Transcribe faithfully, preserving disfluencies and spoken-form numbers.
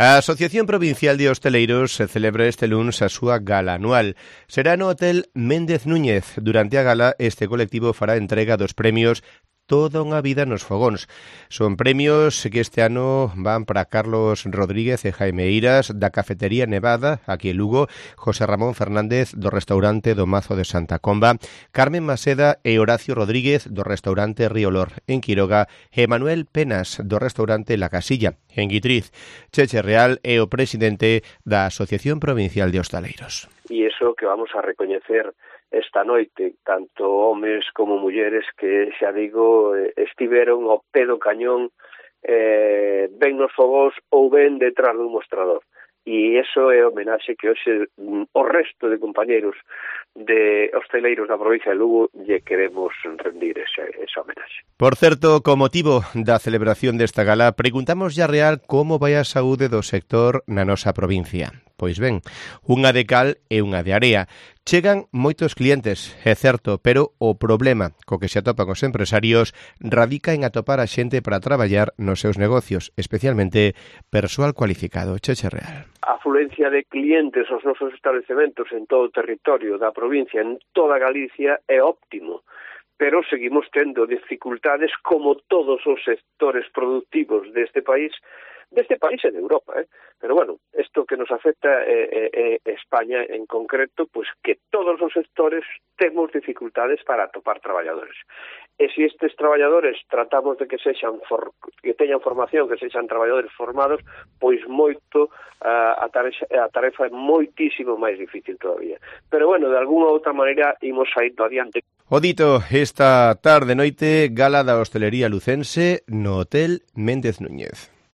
A Asociación Provincial de Hosteleiros se celebra este lunes a súa gala anual. Será no Hotel Méndez Núñez. Durante a gala, este colectivo fará entrega dos premios Toda unha vida nos fogóns. Son premios que este ano van para Carlos Rodríguez e Jaime Eiras da Cafetería Nevada, aquí en Lugo, José Ramón Fernández do restaurante do Mazo de Santa Comba, Carmen Maseda e Horacio Rodríguez do restaurante Riolor en Quiroga e Manuel Penas do restaurante La Casilla en Guitriz. Cheche Real é o presidente da Asociación Provincial de Hostaleiros. E iso que vamos a recoñecer esta noite, tanto homes como mulleres que, xa digo, estiveron ao pé do cañón, eh, ben nos fogóns ou ben detrás dun mostrador. E iso é homenaxe que hoxe o resto de compañeros de hosteleiros da provincia de Lugo lle queremos rendir ese, esa homenaxe. Por certo, co motivo da celebración desta gala, preguntamos ya real como vai a saúde do sector na nosa provincia. Pois ben, unha de cal e unha de area. Chegan moitos clientes, é certo, pero o problema co que se atopan os empresarios radica en atopar a xente para traballar nos seus negocios, especialmente persoal cualificado. Cheche Real. A afluencia de clientes aos nosos establecementos en todo o territorio da provincia, en toda Galicia, é óptimo, pero seguimos tendo dificultades como todos os sectores productivos deste país, deste país e de Europa, eh? Pero bueno, isto que nos afecta é, é, é España en concreto, pois que todos os sectores temos dificultades para atopar traballadores. E se estes traballadores tratamos de que sexan for, que teñan formación, que sexan traballadores formados, pois moito uh, a, tarefa, a tarefa é moitísimo máis difícil todavía. Pero bueno, de alguna outra maneira imos saindo adiante. O dito, esta tarde noite, gala da hostelería lucense no Hotel Méndez Núñez.